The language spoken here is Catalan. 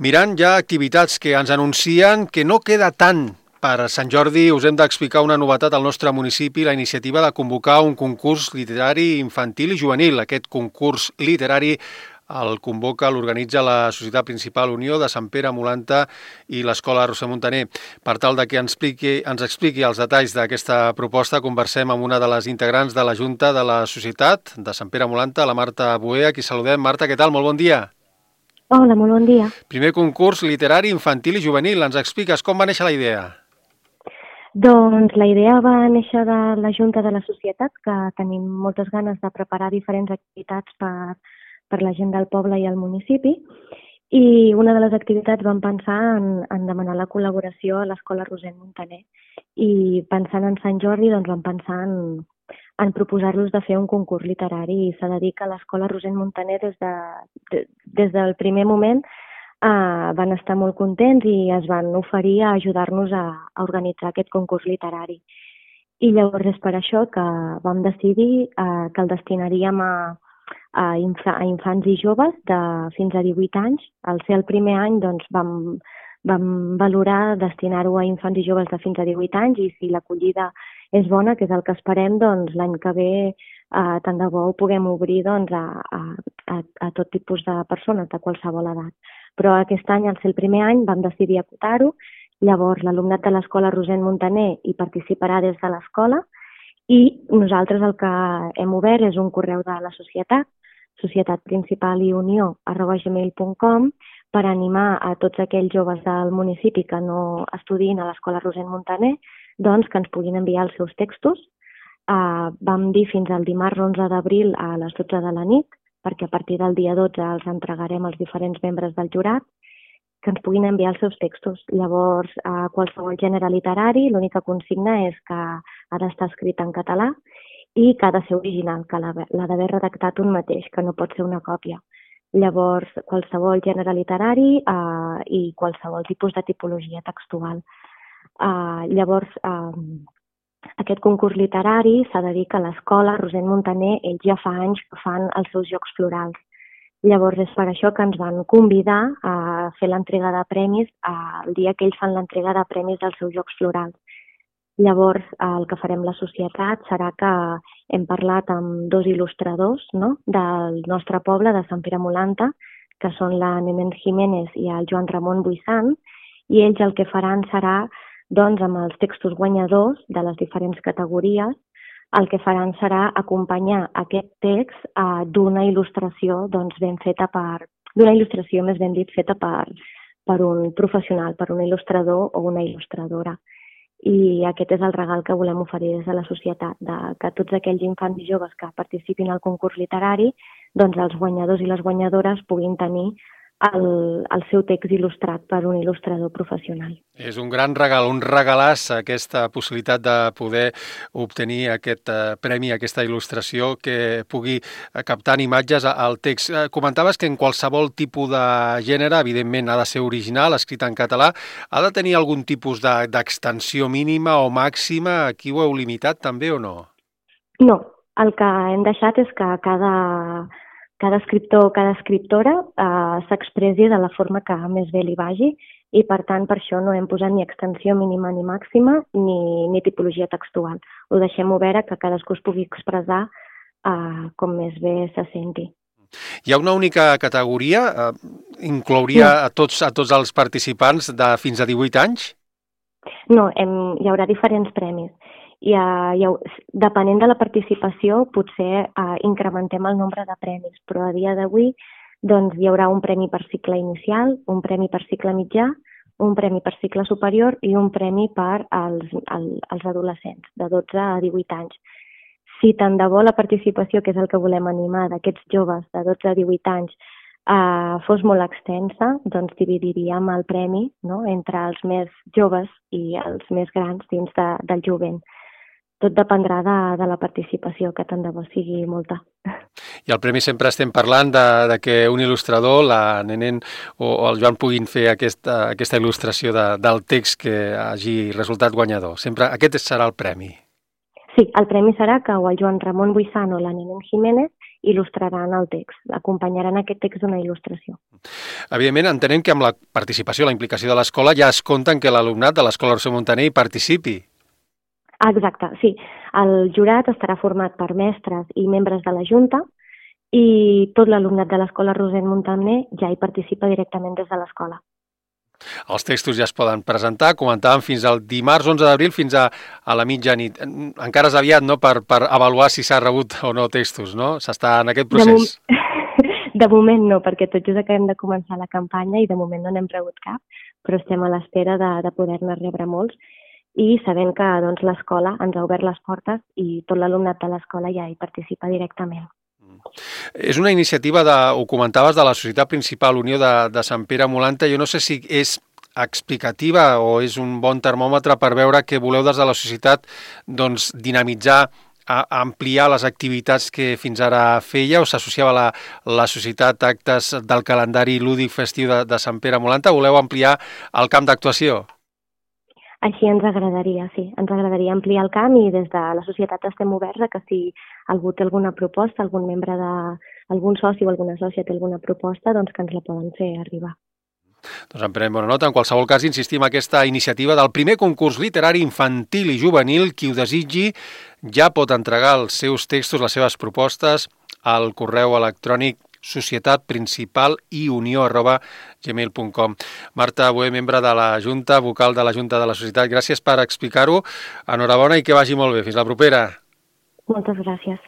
Mirant ja activitats que ens anuncien que no queda tant per Sant Jordi, us hem d'explicar una novetat al nostre municipi, la iniciativa de convocar un concurs literari infantil i juvenil. Aquest concurs literari el convoca, l'organitza la Societat Principal Unió de Sant Pere Molanta i l'Escola Roser Muntaner. Per tal de que ens expliqui els detalls d'aquesta proposta, conversem amb una de les integrants de la Junta de la Societat de Sant Pere Molanta, la Marta Boé, a qui saludem. Marta, què tal? Molt bon dia. Hola, molt bon dia. Primer concurs literari infantil i juvenil. Ens expliques com va néixer la idea? Doncs la idea va néixer de la Junta de la Societat, que tenim moltes ganes de preparar diferents activitats per la gent del poble i el municipi, i una de les activitats vam pensar en demanar la col·laboració a l'Escola Roser Muntaner, i pensant en Sant Jordi doncs vam pensar en proposar-los de fer un concurs literari, i s'ha de dir que l'Escola Roser Muntaner des del primer moment van estar molt contents i es van oferir a ajudar-nos a organitzar aquest concurs literari. I llavors és per això que vam decidir que el destinaríem a infants i joves de fins a 18 anys. Al ser el primer any doncs, vam valorar destinar-ho a infants i joves de fins a 18 anys, i si l'acollida és bona, que és el que esperem, doncs l'any que ve tant de bo ho puguem obrir doncs, a tot tipus de persones de qualsevol edat. Però aquest any, al ser el primer any, vam decidir acotar-ho. Llavors, l'alumnat de l'Escola Roser Muntaner hi participarà des de l'escola, i nosaltres el que hem obert és un correu de la societat, societatprincipaliunió@gmail.com, per animar a tots aquells joves del municipi que no estudin a l'Escola Roser Muntaner, doncs que ens puguin enviar els seus textos. Vam dir fins al dimarts 11 d'abril a les 12 de la nit, perquè a partir del dia 12 els entregarem als diferents membres del jurat, que ens puguin enviar els seus textos. Llavors, qualsevol gènere literari, l'única consigna és que ha d'estar escrit en català i que ha de ser original, que l'ha d'haver redactat un mateix, que no pot ser una còpia. Llavors, qualsevol gènere literari i qualsevol tipus de tipologia textual. Llavors, aquest concurs literari s'ha de dir que l'Escola Roser Muntaner, ells ja fa anys que fan els seus jocs florals. Llavors és per això que ens van convidar a fer l'entrega de premis el dia que ells fan l'entrega de premis dels seus jocs florals. Llavors el que farem la societat serà que hem parlat amb dos il·lustradors, no?, del nostre poble, de Sant Pere Molanta, que són la Nenen Jiménez i el Joan Ramon Buisant, i ells el que faran serà, doncs, amb els textos guanyadors de les diferents categories, el que faran serà acompanyar aquest text d'una il·lustració doncs, d'una il·lustració, més ben dit, feta per un professional, per un il·lustrador o una il·lustradora. I aquest és el regal que volem oferir des de la societat, que tots aquells infants i joves que participin al concurs literari, doncs els guanyadors i les guanyadores puguin tenir el seu text il·lustrat per un il·lustrador professional. És un gran regal, un regalàs, aquesta possibilitat de poder obtenir aquest premi, aquesta il·lustració que pugui captar imatges al text. Comentaves que en qualsevol tipus de gènere, evidentment ha de ser original, escrit en català, ha de tenir algun tipus d'extensió mínima o màxima? Aquí ho heu limitat també o no? No, el que hem deixat és que cada escriptor o cada escriptora s'expressi de la forma que més bé li vagi, i per tant per això no hem posat ni extensió mínima ni màxima ni tipologia textual. Ho deixem obert que cadascú es pugui expressar com més bé se senti. Hi ha una única categoria? Inclouria a tots els participants de fins a 18 anys? No, hi haurà diferents premis. Depenent de la participació, potser incrementem el nombre de premis, però a dia d'avui doncs, hi haurà un premi per cicle inicial, un premi per cicle mitjà, un premi per cicle superior i un premi per als adolescents de 12 a 18 anys. Si tant de bo la participació, que és el que volem animar, d'aquests joves de 12 a 18 anys fos molt extensa, doncs dividiríem el premi, no?, entre els més joves i els més grans dins del jovent. Tot dependrà de la participació, que tant de bo sigui molta. I el premi sempre estem parlant de que un il·lustrador, la Nenen o el Joan, puguin fer aquesta il·lustració del text que hagi resultat guanyador. Sempre aquest serà el premi. Sí, el premi serà que o el Joan Ramon Buisant o la Nenen Jiménez il·lustraran el text, acompanyaran aquest text d'una il·lustració. Evidentment, entenem que amb la participació, la implicació de l'escola, ja es compta que l'alumnat de l'Escola Roser Muntaner hi participi. Exacte, sí. El jurat estarà format per mestres i membres de la Junta i tot l'alumnat de l'Escola Roser Muntaner ja hi participa directament des de l'escola. Els textos ja es poden presentar, comentàvem fins al dimarts 11 d'abril fins a la mitjanit. Encara és aviat, no?, per avaluar si s'ha rebut o no textos, no? S'està en aquest procés. De moment no, perquè tot just acabem de començar la campanya i de moment no n'hem rebut cap, però estem a l'espera de poder-ne rebre molts i sabent que doncs, l'escola ens ha obert les portes i tot l'alumnat de l'escola ja hi participa directament. És una iniciativa, ho comentaves, de la Societat Principal Unió de Sant Pere Molanta. Jo no sé si és explicativa o és un bon termòmetre per veure que voleu des de la societat doncs, dinamitzar, ampliar les activitats que fins ara feia, o s'associava la societat a actes del calendari lúdic festiu de Sant Pere Molanta. Voleu ampliar el camp d'actuació? Així ens agradaria, sí. Ens agradaria ampliar el camp i des de la societat estem oberts a que si algú té alguna proposta, algun soci o alguna sòcia té alguna proposta, doncs que ens la poden fer arribar. Doncs en prenem bona nota. En qualsevol cas, insistim en aquesta iniciativa del primer concurs literari infantil i juvenil. Qui ho desitgi ja pot entregar els seus textos, les seves propostes al correu electrònic societatprincipaliunió@gmail.com. Marta Boé, membre de la Junta, vocal de la Junta de la Societat, gràcies per explicar-ho. Enhorabona i que vagi molt bé. Fins la propera. Moltes gràcies.